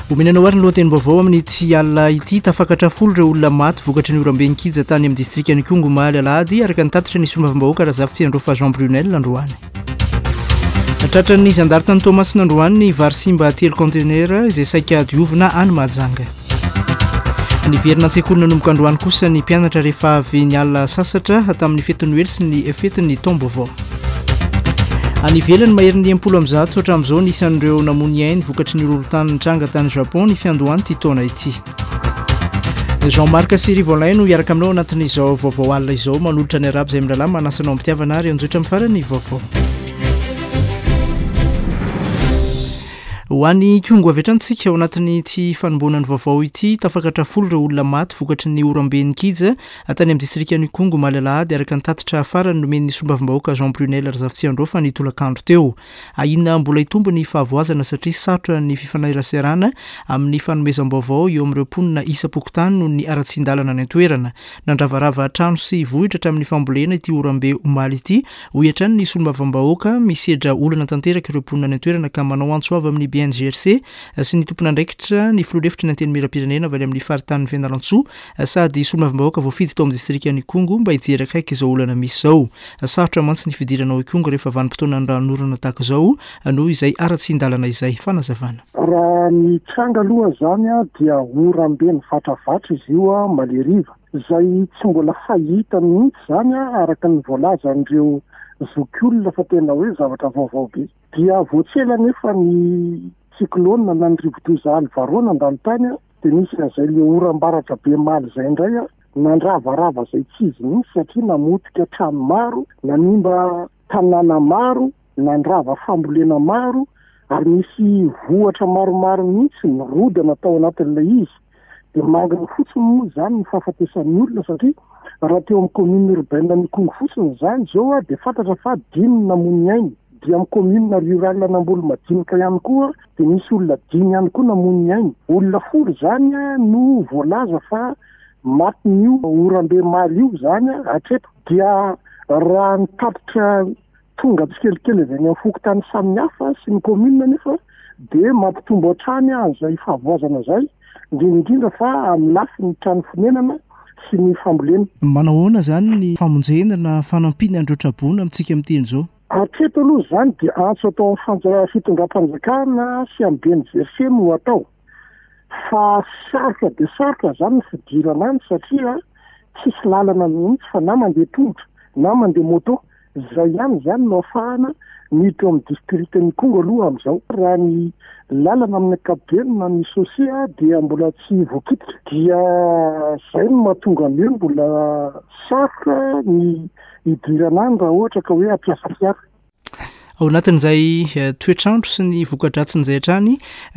Omena anao ary ny lohatenim-baovao amin'ity alina ity. Tafakatra folo ireo olona maty vokatry ny oram-be nikija tany amin'ny distrikan'Ikongo omaly alahady, araka ny tatitra ny solombavambahoaka Razafitsiandraofa Jean Brunel androany. Tratran'ny zandary tany Toamasina androany ny vary simba telo kaontenera izay saika diovina any Mahajanga. Niverina an-tsekoly nanomboka androany kosa ny mpianatra rehefa avy niala sasatra tamin'ny fetin'ny Noely sy ny fetin'ny taom-baovao. Any ivelany, maherin'ny 160 hatramin'izao ny isan'ireo namoy ny ainy vokatry ny horohorontany nitranga tany Japon ny fiandohan'ity taona ity. Jean Marc sy Rivo Alain no hiaraka aminao anatin'izao vaovao alina izao manolotra ny arabo izay mirahalahy manasa anao am-pitiavana ary anjotra amin'ny farany vaovao. Ho any Ikongo avy hatrany tsika ao anatin'ity fanomboana ny vaovao ity. Tafakatra folo ireo olona maty vokatry ny oram-be nikija tany amin'ny distrikan'Ikongo omaly alahady araka ny tatitra farany nomen'ny solombavambahoaka Jean Brunel Razafitsiandraofa ny tolakandro teo. Ahiana mbola hitombo ny fahavoazana satria sarotra ny fifaneraserana amin'ny fanomezam-baovao eo amin'ireo mponina isam-pokontany noho ny haratsian-dalana any an-toerana. Nandravarava trano sy vohitra hatramin'ny fambolena ity oram-be omaly ity, hoy hatrany ny solombavambahoaka. Misedra olana tanteraka ireo mponina any an-toerana ka manao antso avo amin'ny BNGRC sy ny tompon'andraikitra ny filoha lefitry ny Antenimierampirenena avy any amin'ny faritanin'i Fianarantsoa sady solombavambahoaka voafidy tao amin'ny distrikan'Ikongo mba hijery akaiky izao olana misy izao. Sarotra mantsy ny fidirana ao Ikongo rehefa vanim-potoanan'ny ranonorana tahaka izao noho izay haratsian-dalana izay. Fanazavana. Raha ny tranga aloha izany dia oram-be nivatravatra izy io omaly hariva, izay tsy mbola fahita mihitsy izany araka ny voalazan'ireo zokiolona fa tena hoe zavatra vaovao be. Dia vao tsy ela anefa ny cyclone na ny rivodoza Alvaro nandalo tany dia nisy an'izay le oram-baratra be omaly izay indray nandravarava izay tsy izy mihitsy satria namotika trano maro, nanimba tanàna maro, nandrava fambolena maro ary nisy vohatra maromaro mihitsy nirodana tao anatin'ilay izy. Dia mangina fotsiny moa izany ny fahafatesan'ny olona satria raha teo amin'ny commune urbaine an'Ikongo fotsiny izany izao dia fantatra fa dimy ny namoy ny ainy. Dia amin'ny commune rurale an'Ambolomadinika ihany koa dia nisy olona dimy ihany koa namoy ny ainy. Olona folo izany no voalaza fa matin'io oram-be omaly io izany hatreto. Dia raha ny tatitra tonga tsikelikely avy any amin'ny fokontany samihafa sy ny commune anefa dia mampitombo hatrany an'izay fahavoazana izay, indrindra indrindra fa amin'ny lafiny trano fonenana sy ny fambolena. Manao ahoana izany ny famonjena na fanampiana an'ireo traboina amintsika miteny izao? Hatreto aloha izany dia antso atao amin'ny fitondram-panjakana sy amin'ny BNGRC no atao. Fa sarotra dia sarotra izany ny fidirana any satria tsisy lalana mihitsy fa na mandeha tongotra na mandeha moto. Izay ihany izany no ahafahana miditra ao amin'ny distrikan'Ikongo aloha amin'izao. Raha ny lalana amin'ny ankapobeny na ny chaussée dia mbola tsy voakitika. Dia izay no mahatonga ny hoe mbola sarotra ny hidirana any raha ohatra ka hoe hampiasa fiara. Ao anatin'izay toetr'andro sy ny voka-dratsin'izay hatrany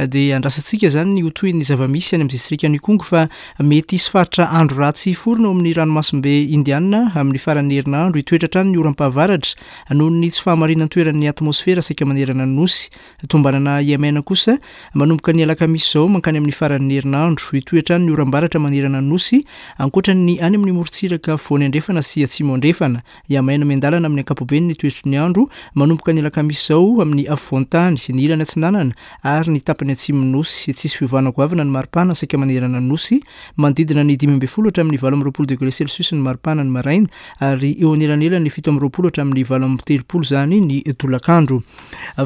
dia andrasantsika izany ny ho tohin'ny zava-misy any amin'ny distrikan'Ikongo fa mety hisy faritra andro ratsy hiforona ao amin'ny ranomasimbe Indiana amin'ny faran'ny herinandro. Hitoetra hatrany ny oram-pahavaratra noho ny tsy fahamarinan-toeran'ny atmosfera saika manerana ny Nosy. Tombanana Yemen kosa manomboka ny alakamisy izao mankany amin'ny faran'ny herinandro. Hitohy hatrany ny oram-baratra manerana ny Nosy ankoatra ny any amin'ny morontsiraka afovoany andrefana sy atsimo andrefana. Hihamaina miandalana amin'ny ankapobeny ny toetry ny andro manomboka ny alakamisy izao amin'ny afovoan-tany, ny ilany atsinanana ary ny tapany atsimon'ny Nosy. Tsy hisy fiovana goavana ny maripana saika manerana ny Nosy. Manodidina ny 15 hatramin'ny 28 degre celsius ny maripana ny maraina ary eo anelanelan'ny 27 hatramin'ny 38 izany ny tolakandro.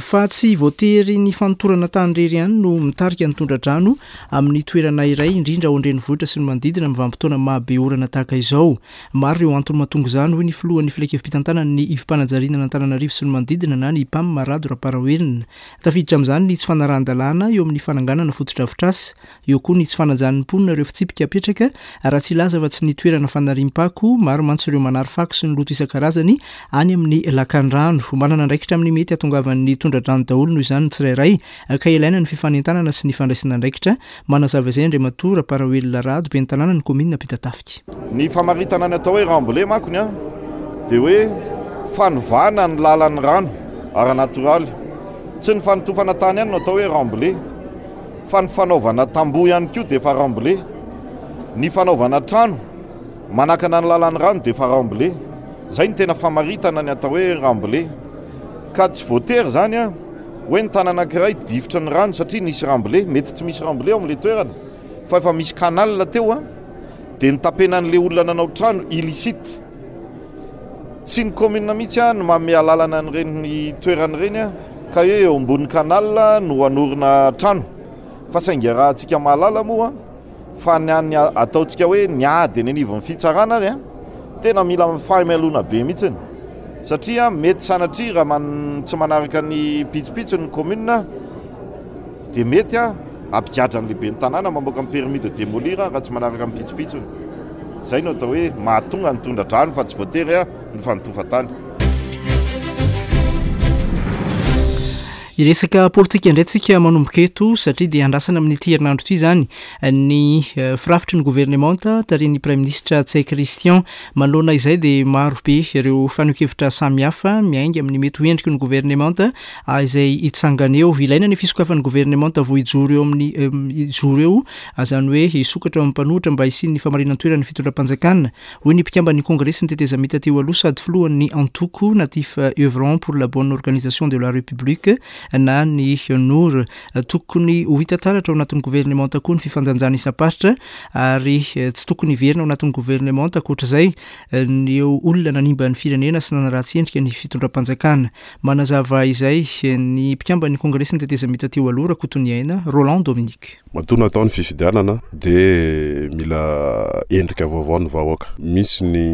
Fa tsy voatery ny fanotorana tany irery ihany no mitarika ny tondra-drano amin'ny toerana iray, indrindra ao an-drenivohitra sy ny manodidina amin'ny vanim-potoana maha be orana tahaka izao. Maro ireo antony mahatonga izany, hoy ny filohan'ny filankevi-pitantanana ny Ivom-panajariana an'Antananarivo sy ny manodidina na ny Ipam, Rado Ramparaoelina. Tafiditra amin'izany ny tsy fanarahan-dalàna eo amin'ny fananganana fotodrafitrasa, eo koa ny tsy fanajan'ny mponina ireo fitsipika apetraka, raha tsy hilaza afa-tsy ny toerana fanariam-pako, maro mantsy ireo manary fako sy ny loto isan-karazany any amin'ny lakandrano. Manana andraikitra amin'ny mety hahatongavan'ny tondra-drano daholo noho izany ny tsirairay ka ilaina ny fifanentanana sy ny fandraisana andraikitra Manazava izay Andriamatoa Ramparaoelina Rado, ben'ny tanànan'ny kaominina Ampitatafika. Ny famaritana ny atao hoe remblai manko ny an dia hoe fanovana ny lalan'ny rano ara-natoraly. Tsy ny fanotofana tany ihany no atao hoe remblai fa ny fanaovana tamboho ihany koa dia efa remblai. Ny fanaovana trano manakana ny lalan'ny rano dia efa remblai. Izay no tena famaritana ny atao hoe remblai. Ka tsy voatery izany an. Hoe ny tany anankiray difotry ny rano satria nisy remblai, mety tsy misy remblai ao amin'ilay toerana fa efa misy canal teo an, dia notapenan'ilay olona nanao trano illicite. Tsy ny commune mihitsy an no manome alalana an'ireny toerana ireny an, ka hoe eo ambony canal no hanorina trano. Fa saingy iarahantsika mahalala moa fa ny an'ny ataontsika hoe ny ady eny anivon'ny fitsarana ary an, tena mila fahamelona be mihitsiny satria mety sanatria raha tsy manaraka ny pitsopitsony ny commune dia mety an hampigadra ny lehiben'ny tanàna mamoaka ny permis de démolir raha tsy manaraka ny pitsopitsony. Izay no atao hoe mahatonga ny tondra-drano fa tsy voatery ny fanotofan-tany. Hiresaka politika indray tsika manomboka eto satria dia andrasana amin'ity herinandro ity izany ny eh, firafitry ny governemanta tarihin'ny praiminisitra Ntsay Christian. Manoloana izay dia maro be ireo fanehoan-kevitra samihafa miainga amin'ny mety ho endriky ny governemanta ah, izay hitsangana eo. Ilaina ny fisokafan'ny governemanta vao hijoro eo amin'ny eh, hijoro eo, izany hoe hisokatra eo amin'ny mpanohitra mba hisian'ny famarinan-toeran'ny fitondram-panjakana. Hoy ny mpikamban'ny Kongresin'ny tetezamita teo aloha sady filohan'ny antoko Natif Œuvrant pour la bonne organisation de la République na ny Nour. Tokony ho hita taratra ao anatin'ny governemanta koa ny fifandanjana isam-paritra ary tsy tokony hiverina ao anatin'ny governemanta ankoatr'izay ny olona nanimba ny firenena sy nanaratsy endrika ny fitondram-panjakana. Manazava izay ny mpikamban'ny Kongresin'ny tetezamita teo aloha Rakotoniaina Roland Dominique. Matoa natao ny fifidianana dia mila endrika vaovao ny vahoaka. Misy ny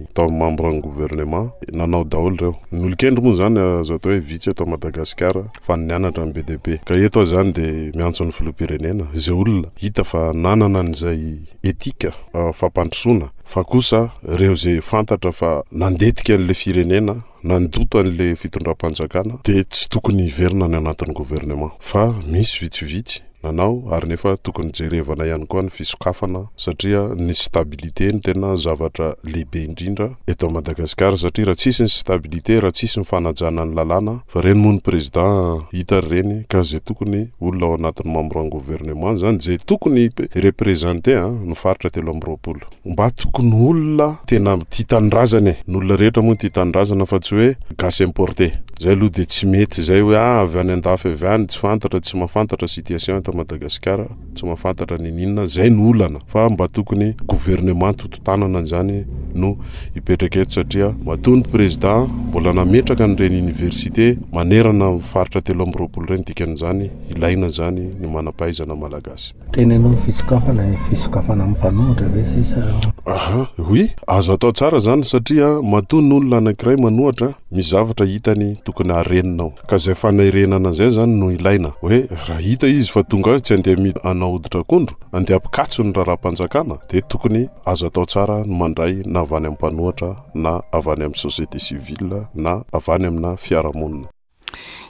atao membre ny gouvernement, nanao daholo ireo. Ny olon-kendry moa izany azo atao hoe vitsy eto Madagasikara fa ny nianatra no be dia be. Ka eto aho izany dia miantso ny filoham-pirenena, izay olona hita fa nanana an'izay éthique fampandrosoana fa kosa ireo izay fantatra fa nandetika an'ilay firenena, nandoto an'ilay fitondram-panjakana dia tsy tokony hiverina any anatin'ny gouvernement fa misy vitsivitsy nanao ary nefa tokony jerevana ihany koa ny fisokafana satria ny stabilité no tena zavatra lehibe indrindra eto Madagasikara satria raha tsisy ny stabilité raha tsisy ny fanajana ny lalàna fa reny moa ny président hita ry reny ka zay tokony olona ao anatin'ny membre ny gouvernement zany zay tokony hi-representer ny faritra 23. Mba tokony olona tena tia tanindrazana e! Ny olona rehetra moa tia tanindrazana fa tsy hoe gasy importé. Zay aloha dia tsy mety zay hoe ah avy any andafy avy any tsy fantatra tsy mahafantatra situation eto Madagasikara, tsy mahafantatra niniana, zay no olana fa mba tokony gouvernement toto-tanana zany no hipetraka eto satria matoa ny président mbola nametraka an'ireny université manerana ny faritra 23 ireny dikan'izany ilaina zany ny manam-pahaizana malagasy. Teneno ny fisokafana e, fisokafana amin'ny mpanohitra ve sa sa? Aha, oui, azo atao tsara zany satria matoa ny olona anankiray manohatra misy zavatra hitany tokony harenina ao. Ka zay fanerenana zay zany no ilaina, hoe raha hita izy fa tonga ao izy tsy andeha mi hanao hoditr'akondro, andeha hampikatso ny raharaham-panjakana dia tokony azo atao tsara ny mandray na avy any amin'ny mpanohatra na avy any amin'ny société civile na avy any amina fiarahamonina.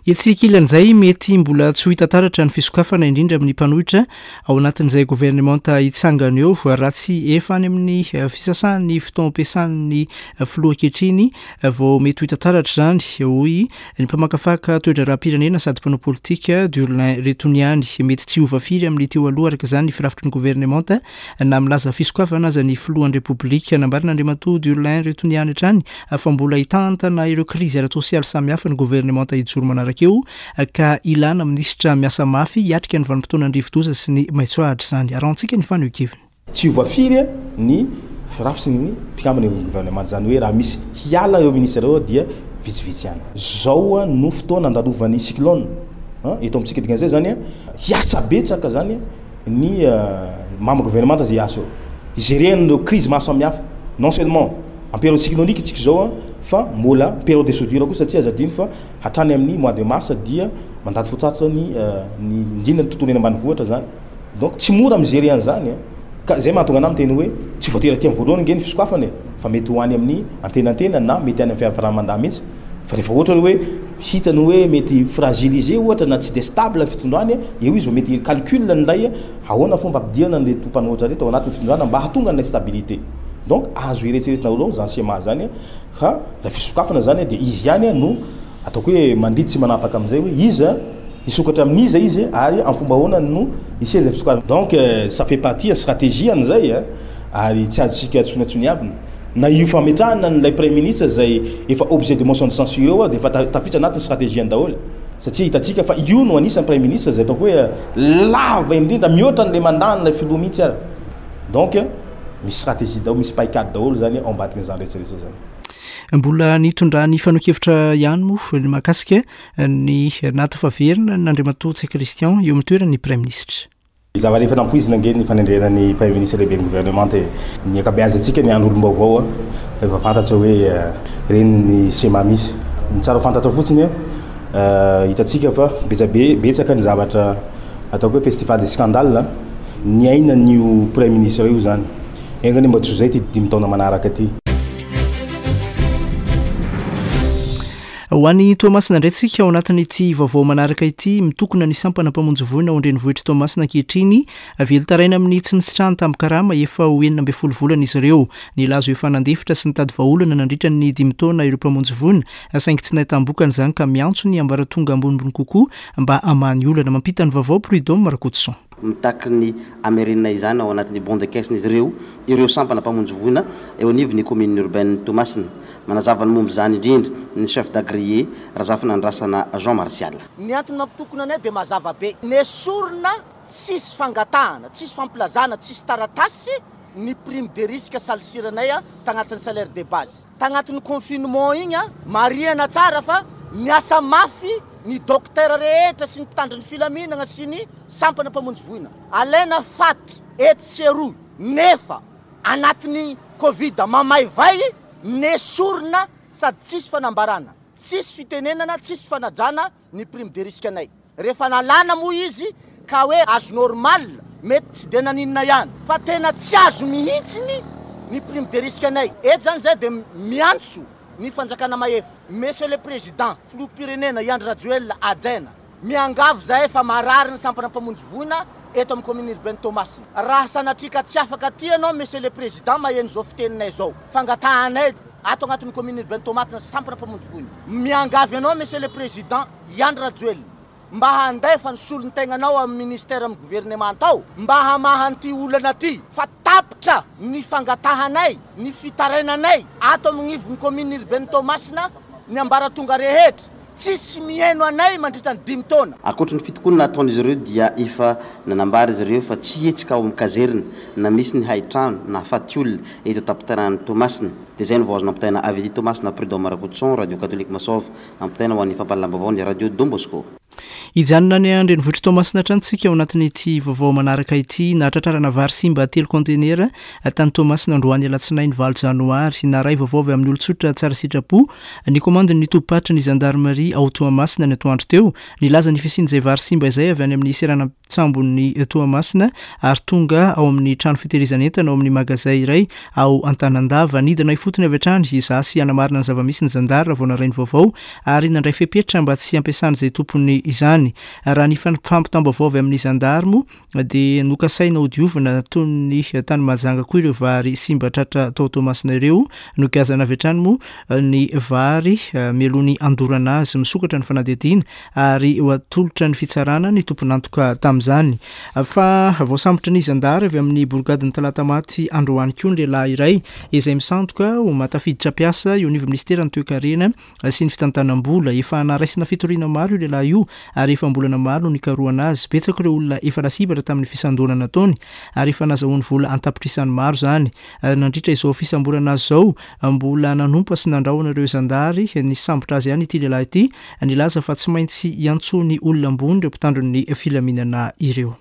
Etsy ankilan'izay, mety mbola tsy ho hita taratra ny fisokafana indrindra amin'ny mpanohitra ao anatin'izay governemanta hitsangana eo raha tsy efa any amin'ny fisasahan'ny fotoam-piasan'ny filoha ankehitriny vao mety ho hita taratra izany, hoy ny mpamakafaka toe-draharaham-pirenena sady mpanao politika Durlin Retoniany. Mety tsy hiova firy amin'ny teo aloha araka izany ny firafitry ny governemanta na milaza fisokafana aza ny filohan'ny Repoblika. Nambaran'Andriamatoa Durlin Retoniany hatrany fa mbola hitantana ireo krizy ara-tsosialy samihafa ny governemanta hijoro manaraka eo ka ilana minisitra miasa mafy hiatrika ny vanim-potoanan'ny rivodoza sy ny maitsoahitra izany. Arahantsika ny fanehoan-keviny. Tsy hiova firy ny firafitry ny mpikambana eo amin'ny governemanta, izany hoe raha misy hiala ireo minisitra ireo dia vitsivitsy ihany. Izao no fotoana andalovan'ny cyclone eto amintsika, dikan'izay izany hiasa betsaka izany ny membre gouvernemanta izay hiasa eo, hi-gerer an'ireo krizy maro samihafa, non seulement En période cyclonique tsika izao an, fa mbola période de soudure koa satria aza adino fa hatrany amin'ny mois de mars dia mandalo fotoatsa ny ny indrindra ny tontolo eny ambanivohitra zany. Donc tsy mora mi-gerer an'izany an. Ka zay mahatonga anah miteny hoe tsy voatery aty amin'ny voalohany ange ny fisokafana e, fa mety ho any amin'ny antenantena na mety any amin'ny fiafarana mandat mihitsy. Fa rehefa ohatra hoe hitany hoe mety fragilisé ohatra na tsy dia stable ny fitondrany, eo izy vao mety hi-calcul an'ilay Ahoana fomba ampidirana an'ireto mpanohitra ireto ao anatin'ny fitondrana mba hahatonga an'ilay stabilité? Donc azo eretseretina daholo izany schéma izany fa ilay fisokafana izany dia izy ihany no ataoko hoe mandidy sy manapaka amin'izay hoe iza hisokatra amin'iza izy ary amin'ny fomba ahoana no hisian'izay fisokafana. Donc ça fait partie stratégie an'izay ary tsy azontsika tsoniatsoniavina. Na io fametrahana an'ilay praiminisitra izay efa objet de motion de censure io dia efa tafiditra anatin'ny stratégie-ny daholo. Satria hitantsika fa io no anisan'ny Praiminisitra izay ataoko hoe lava indrindra, mihoatra an'ilay mandat an'ilay filoha mihitsy ary. Donc misy stratégie daholo, misy paikady daholo izany ao ambadikin'izany rehetra rehetra izany. Mbola nitondrany fanehoan-kevitra ihany moa ny mahakasika ny nahatafaverina an'Andriamatoa Ntsay Christian eo amin'ny toeran'ny Praiminisitra. Zava-rehefa nampoizina ange ny fanendrena ny Praiminisitra lehiben'ny governemanta e. Ny ankabeazantsika miandry olom-baovao fa efa fantatra hoe ireny ny schéma misy. Ny tsara ho fantatra fotsiny hitantsika fa betsabe betsaka ny zavatra ataoko hoe festival des scandales niainan'io Praiminisitra io izany. Enga anie mba tsy ho izay ity dimy taona manaraka ity. Ho any Toamasina indray tsika ao anatin'ity vaovao manaraka ity, mitokona ny sampana mpamonjy voina ao an-drenivohitr'i Toamasina ankehitriny, velon-taraina amin'ny tsy nisitrahany tambin-karama efa ho 16 volana izy ireo. Nilaza ho efa nandefitra sy nitady vahaolana nandritra ny dimy taona ireo mpamonjy voina, saingy tsy nahitam-bokany izany ka miantso ny ambaratonga ambonimbony kokoa mba hamaha ny olana. Mampita ny vaovao Prud'homme Rakotoson. Mitaky ny hamerenana izany ao anatin'ny bon de caisse-n'izy ireo ireo sampana mpamonjy voina eo anivon'ny kaominina urbaine Toamasina. Manazava ny momba izany indrindra ny chef d'agréé, Razafinandrasana Jean Martial. Ny antony mampitokona anay dia mazava be. Nesorina tsisy fangatahana, tsisy fampilazana, tsisy taratasy ny prime de risque salisiranay tagnatin'ny salaire de base. Tagnatin'ny confinement igny, marihana tsara fa niasa mafy ny docteur rehetra sy ny mpitandro ny filaminagna sy ny sampana mpamonjy voina. Alaina faty etsy sy eroa nefa anatin'ny covid mamaivay nesorina sady tsisy fanambarana, tsisy fitenenana, tsisy fanajana ny prime de risque anay. Rehefa nalana moa izy ka hoe azo normal mety tsy dia naninona ihany fa tena tsy azo mihitsiny ny prime de risque anay. Eto zany zay dia miantso ny fanjakana mahefa, Monsieur le Président, Filoham-pirenena i Andry Rajoelina hajaina, Miangavy zahay fa marary ny sampana mpamonjy voina eto amin'ny commune urbaine Toamasina. Raha sanatria ka tsy afaka aty ianao Monsieur le Président maheno izao fiteninay izao, fangatahanay ato agnatin'ny commune urbaine Toamasina sampana mpamonjy voina. Miangavy anao Monsieur le Président i Andry Rajoelina mba handefa ny solontegnanao amin'ny ministère amin'ny gouvernemanta ao mba hamaha an'ity olana ty fa tapitra ny fangatahanay, ny fitarainanay ato amin'ivon'ny commune urbaine Toamasina ny ambaratonga rehetra. Tsisy mihaino anay mandritra ny dimy taona. Ankoatry ny fitokonana ataon'izy ireo dia efa nanambara izy ireo fa tsy hihetsika ao amin'ny kazerina na misy ny hain-trano na faty olona eto an-tampon-tanànan'i Toamasina. Dia izay no vao azo nampitaina avy aty Toamasina Prud'homme Rakotoson, Radio Catholique Masov, ampitaina ho an'ny fampahalalam-baovao ny Radio Don Bosco. Hijanona any an-drenivohitr'i Toamasina hatrany isika ao anatin'ity vaovao manaraka ity. Nahatratrarana vary simba telo kaontenera tany Toamasina androany alatsinainy valo janoary. Naharay vaovao avy amin'ny olon-tsotra tsara sitrapo ny komandin'ny tobim-paritry ny zandarimaria ao Toamasina ny atoandro teo. Nilaza ny fisian'izay vary simba izay avy any amin'ny seranan-tsambon'i Toamasina ary tonga ao amin'ny trano fitehirizan'entana ao amin'ny magazay iray ao Antanandava. Nidina ifotony avy hatrany hizaha sy hanamarina ny zava-misy ny zandary raha vao naray ny vaovao ary nandray fepetra mba tsy hampiasan'izay tompony izany. Raha ny fampitam-baovao avy amin'ny zandary moa dia nokasaina hodiovina toy ny tany Mahajanga koa ireo vary simba tratra tao Toamasina ireo. Nogiazana avy hatrany moa ny vary mialoha ny handorana azy. Misokatra ny fanadihadiana ary ho atolotra ny fitsarana ny tompon'antoka tamin'izany. Fa voasambotry ny zandary avy amin'ny borigadin'i Talatamaty androany koa ny lehilahy iray izay misandoka ho mahatafiditra mpiasa eo anivon'ny minisiteran'ny toekarena sy ny fitantanam-bola. Efa naraisina fitoriana maro io lehilahy io ary efa am-bolana maro no nikarohana azy. Betsaka ireo olona efa lasibatra tamin'ny fisandohana nataony ary efa nazahoany vola an-tapitrisany maro izany. Nandritra izao fisamborana azy izao, mbola nanompa sy nandrahona ireo zandary nisambotra azy ihany ity lehilahy ity, nilaza fa tsy maintsy hiantsoany olona ambony ireo mpitandro ny filaminana ireo.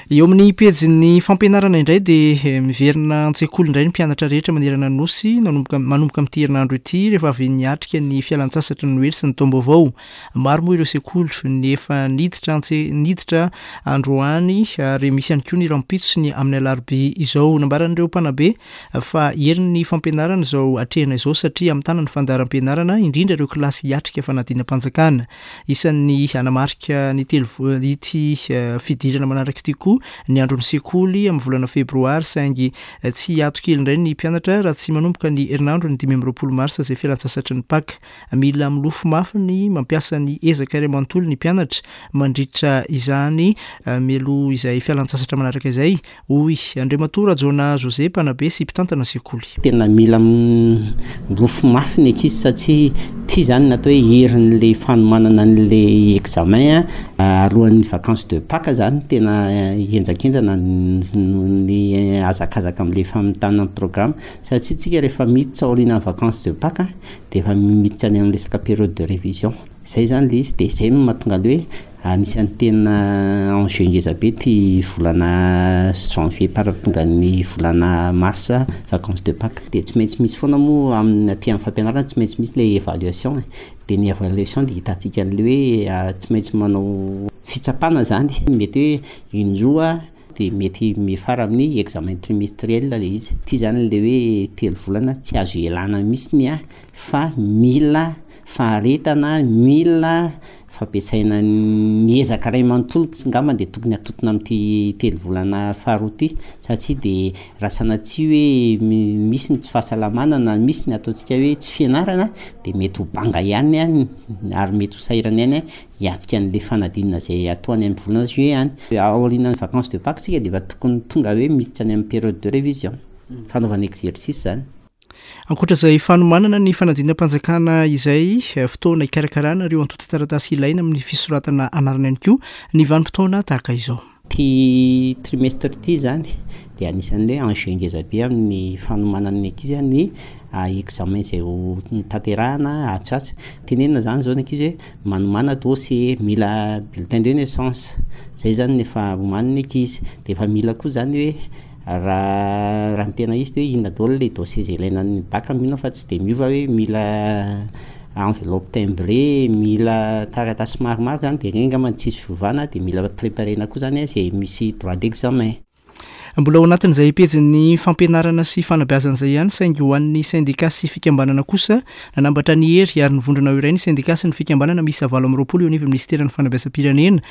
Eo amin'ny pejin'ny fampianarana indray dia miverina an-tsekoly indray ny mpianatra rehetra manerana ny Nosy nanomboka manomboka amin'ity herinandro ity rehefa avy niatrika ny fialantsasatry ny Noely sy ny taom-baovao. Maro moa ireo sekoly ny efa niditra antse niditra androany ary misy ihany koa ny rahampitso sy ny amin'ny alarobia izao. Nambaran'ireo mpanabe fa herin'ny fampianarana izao atrehina izao satria hamitana ny fandaharam-pianarana indrindra ireo kilasy hiatrika fanadinam-panjakana. Isan'ny hanamarika ny telo ity fidirana manaraka ity koa. koa ny andron'ny sekoly amin'ny volana febroary saingy tsy hiato kely indray ny mpianatra raha tsy manomboka ny herinandron'ny 25 marsa izay fialantsasatry ny Paka. Mila milofo mafy ny mampiasa ny ezaka iray manontolo ny mpianatra mandritra izany mialoha izay fialantsasatra manaraka izay hoy Andriamatoa Rajaonah José, mpanabe sy mpitantana sekoly. Tena mila milofo mafy ny ankizy satria ity izany no atao hoe herin'ilay fanomanana an'ilay examen alohan'ny vacances de Pâques izany tena henjakenjana ny hazakazaka amin'ilay famitana ny programme satria tsika rehefa miditra aorianan'ny vacances de Pâques dia efa miditra any amin'ny resaka période de révision. Izay izany ilay izy dia izay no mahatonga an'ilay hoe Anisan'ny tena enjeu ngeza be ity volana janvier par tonga ny volana mars vacances de Pâques. Dia tsy maintsy misy foana moa amin'ny aty amin'ny fampianarana tsy maintsy misy ilay évaluation e. Dia ny évaluation dia hitantsika an'ilay hoe tsy maintsy manao fitsapana izany, mety hoe indroa dia mety miafara amin'ny examen trimestriel ilay izy. Ity izany ilay hoe telo volana tsy azo ialana mihitsy ny ahy fa mila faharetana, mila fampiasaina ny ezaka iray manontolo angamba dia tokony hatontona amin'ity telo volana faharoa ity satria dia raha sanatria hoe misy ny tsy fahasalamana na misy ny ataontsika hoe tsy fianarana dia mety ho banga ihany any ary mety ho sahirana ihany hiatrika an'ilay fanadinana izay atao any amin'ny volana juillet any. Aorianan'ny vacances de Pâques isika dia efa tokony tonga hoe miditra any amin'ny période de révision, fanaovana exercice izany. Ankoatra izay fanomanana ny fanadinam-panjakana izay, fotoana hikarakarana ireo antontan-taratasy ilaina amin'ny fisoratana anarana ihany koa ny vanim-potoana tahaka izao. Ity trimestre ity izany dia anisan'ny hoe enjeu ngeza be amin'ny fanomanan'ny ankizy ny examen izay ho tanterahana atsy ho atsy. Tenenina izany izao ny ankizy hoe manomàna dossier, mila bulletin de naissance, izay izany no efa omanin'ny ankizy. Dia efa mila koa izany hoe Raha raha ny tena izy de hoe inona daholo le dossier izay ilaina amin'ny bac mino aho fa tsy de miova hoe mila enveloppe timbrée, mila taratasy maromaro zany de regny angamba no tsisy fiovana de mila préparer-na koa zany zay misy droit d'examen. Mbola ao anatin'izay pejin'ny fampianarana sy fanabeazana izay ihany saingy ho an'ny sendika sy fikambanana kosa nanambatra ny hery ary nivondrona ho iray ny sendika sy ny fikambanana miisa 28 eo anivon'ny minisiteran'ny fanabeazam-pirenena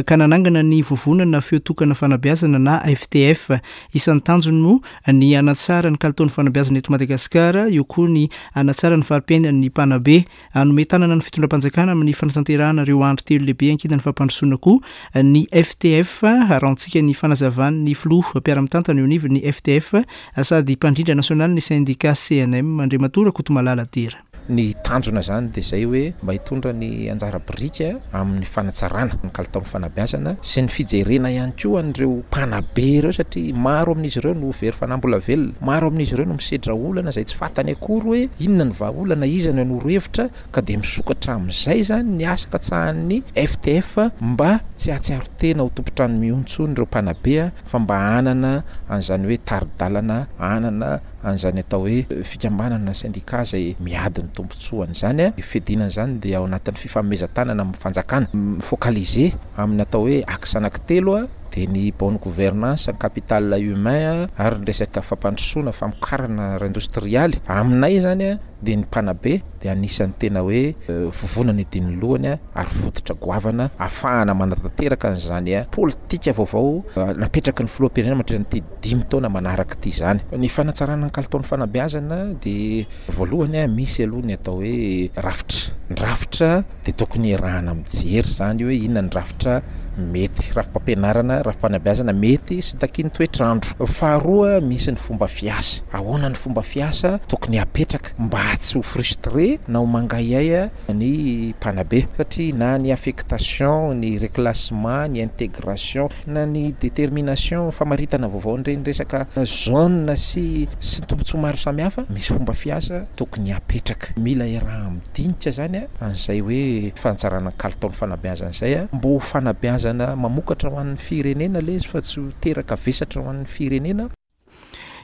ka nanangana ny Vovonana Feo Tokana Fanabeazana na FTF. Isan'ny tanjony moa ny hanatsara ny kalitaon'ny fanabeazana eto Madagasikara, eo koa ny hanatsara ny fari-piainan'ny mpanabe. Hanome tanana ny fitondram-panjakana amin'ny fanatanterahana ireo andry telo lehibe ankinan'ny fampandrosoana koa ny FTF. Arahantsika ny fanazavan'ny filoha mpiara-mitantana eo anivon'ny FTF sady mpandrindra nasionalin'ny sendika CNM, Andriamatoa Rakotomalala Dera. Ny tanjona izany dia izay hoe mba hitondra ny anjara biriky amin'ny fanatsarana ny kalitaon'ny fanabeazana sy ny fijerena ihany koa an'ireo mpanabe ireo satria maro amin'izy ireo no very fanahy mbola velona, maro amin'izy ireo no misedra olana izay tsy fantany akory hoe inona ny vahaolana, iza no hanoro hevitra ka dia misokatra amin'izay izany ny asa katsahan'ny FTF mba tsy hahatsiaro tena ho tompon-trano mihono intsony ireo mpanabe fa mba hanana an'izany hoe tari-dalana, hanana an'izany atao hoe fikambanana na syndicat izay miady ny tombontsoany izany. Ny fiadiana an'izany dia ao anatin'ny fifanomezan-tanana amin'ny fanjakana. Mi-focaliser amin'ny atao hoe axe anankitelo dia ny bonne gouvernance, ny capital humain ary ny resaka fampandrosoana, famokarana ara-indostrialy. Aminay izany dia ny mpanabe dia anisan'ny tena hoe vovonana idin'ny lohany ary fototra goavana ahafahana manatanteraka an'izany politika vaovao napetraky ny filoham-pirenena mandritra an'ity dimy taona manaraka ity izany. Ny fanatsarana ny kalitaon'ny fanabeazana dia voalohany misy aloha ny atao hoe rafitra. Ny rafitra dia tokony iarahana mijery izany hoe inona ny rafitra mety, rafi-pampianarana, rafi-panabeazana mety sy takian'ny toetr'andro. Faharoa misy ny fomba fiasa, ahoana ny fomba fiasa tokony hapetraka mba tsy ho frustré na ho mangahiahy ny mpanabe satria na ny affectation, ny reclassement, ny intégration na ny détermination, famaritana vaovao an'ireny resaka zone sy sy tombontsoa maro samihafa, misy fomba fiasa tokony hapetraka. Mila iaraha-midinika izany an'izay hoe fanatsarana ny kalitaon'ny fanabeazana izay mba ho fanabeazana mamokatra ho an'ny firenena ilay izy fa tsy ho teraka vesatra ho an'ny firenena.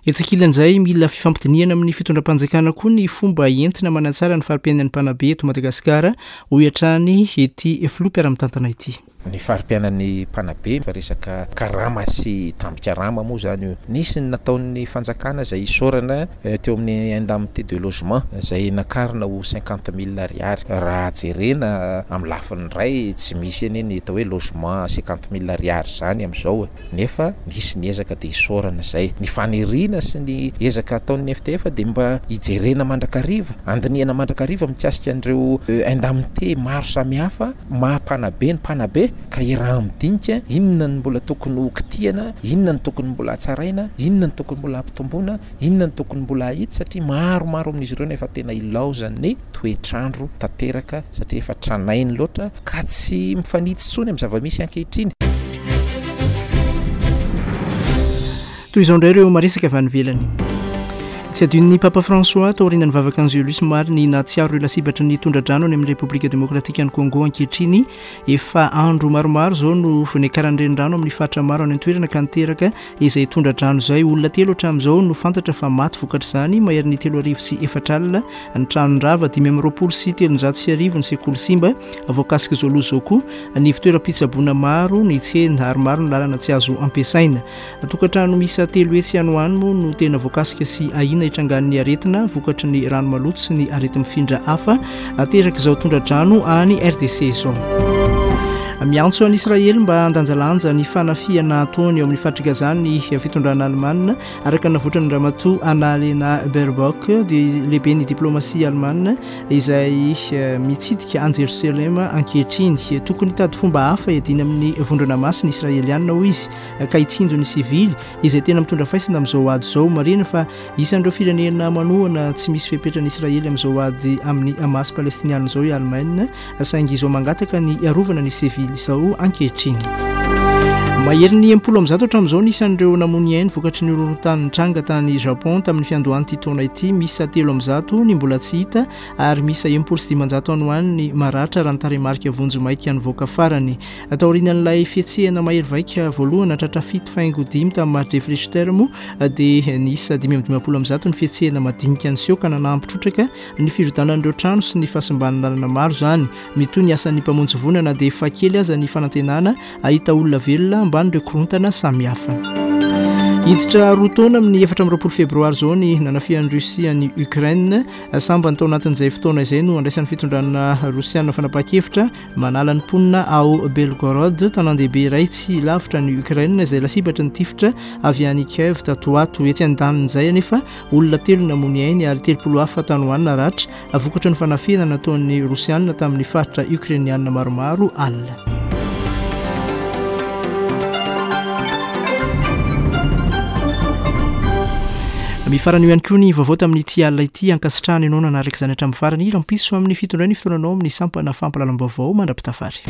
Etsy ankilan'izay, mila fifampidinihana amin'ny fitondram-panjakana koa ny fomba entina manatsara ny fari-piainan'ny mpanabe eto Madagasikara, hoy hatrany ity filoha mpiara-mitantana ity. Ny fari-piainan'ny mpanabe fa resaka karama sy tambin-karama moa izany io. Nisy ny nataon'ny fanjakana izay isaorana teo amin'ny indemnité de logement izay nakarina ho cinquante mille ariary. Raha jerena amin'ny lafiny iray tsy misy anie ny atao hoe logement cinquante mille ariary izany amin'izao e. Nefa nisy ny ezaka dia isaorana izay. Ny faniriana sy ny ezaka ataon'ny FTF dia mba hijerena mandrakariva, handinihana mandrakariva mikasika an'ireo indemnité maro samihafa maha mpanabe ny mpanabe ka iaraha-midinika inona no mbola tokony ho kitihana, inona no tokony mbola hatsaraina, inona no tokony mbola hampitomboina, inona no tokony mbola hahitsy satria maromaro amin'izy ireo no efa tena ilaozan'ny toetr'andro tanteraka satria efa tranainy loatra ka tsy mifanitsy intsony amin'ny zava-misy ankehitriny. Toy izao indray ireo maresaka avy any ivelany. Tsy adinon'ny Papa François taorian'ny vavaka Angelus omaly ny nahatsiaro ireo lasibatry ny tondra-drano any amin'ny Repoblika Demokratikan'i Congo ankehitriny. Efa andro maromaro izao no niakaran'ny renirano amin'ny faritra maro any an-toerana ka niteraka izay tondra-drano izay. Olona telo hatramin'izao no fantatra fa maty vokatr'izany, maherin'ny 4004 ny trano rava, 1325 ny sekoly simba. Voakasik'izao loza izao koa ny ivontoeram-pitsaboana maro, ny tsena ary maro ny lalana tsy azo ampiasaina. Tokantrano miisa 300 any ho any moa no tena voakasika sy ahiana hitrangan'ny aretina vokatry ny rano maloto sy ny areti-mifindra hafa aterak'izao tondra-drano any RDC izao. Miantso an'i Israely mba handanjalanja ny fanafihana ataony eo amin'ny faritr'i Gaza ny fitondrana alemana, araka ny navoitran'i Ramatoa Annalena Baerbock, dia lehiben'ny diplomasia alemana izay mitsidika an'i Jerosalema ankehitriny. Tokony hitady fomba hafa hiadiana amin'ny vondrona masina israelianina, hoy izy, ka hitsinjo ny sivily izay tena mitondra faisana amin'izao ady izao. Marihina fa isan'ireo firenena manohana tsy misy fepetra an'i Israely amin'izao ady amin'ny Hamas palestiniana izao i Alemaina, saingy izao mangataka ny hiarovana ny sivily izao ankehitriny. Maherin'ny 160 hatramin'izao ny isan'ireo namoy ny ainy vokatry ny horohorontany nitranga tany Japon tamin'ny fiandohan'ity taona ity. Miisa 300 ny mbola tsy hita ary miisa 560 any ho any ny maratra raha ny tarehimarika vonjimaika nivoaka farany. Taorian'ilay fihetsehana mahery vaika voalohany nahatratra 7.5 tamin'ny mari-drefy Richter moa dia niisa 155 ny fihetsehana madinika niseho ka nanampy trotraka ny firodanan'ireo trano sy ny fahasimban'ny lalana maro izany. Mitohy ny asan'ny mpamonjy voina na dia efa kely aza ny fanantenana hahita olona velona ambanin'ireo korontana samihafa. Hiditra roa taona amin'ny 24 febroary izao ny nanafihan'i Russie an'i Ukraine. Sambany tao anatin'izay fotoana izay no andraisan'ny fitondrana rosiana fanapahan-kevitra Manala ny mponina ao Belgorod, tanàn-dehibe iray tsy lavitra an'i Ukraine izay lasibatry ny tifitra avy any Kiev tato ho ato. Etsy andanin'izay anefa, olona telo namoy ny ainy ary 30 hafa tany ho any naratra, vokatry ny fanafihana nataon'ny Rosiana tamin'ny faritra Ukrainiana maromaro alina. Mifarana eo ihany koa ny vaovao tamin'ity alina ity. Ankasitrahana ianao nanaraka izany hatramin'ny farany. Rahampitso amin'ny fitondray ny fotoananao amin'ny sampana fampahalalam-baovao mandra-pitafary.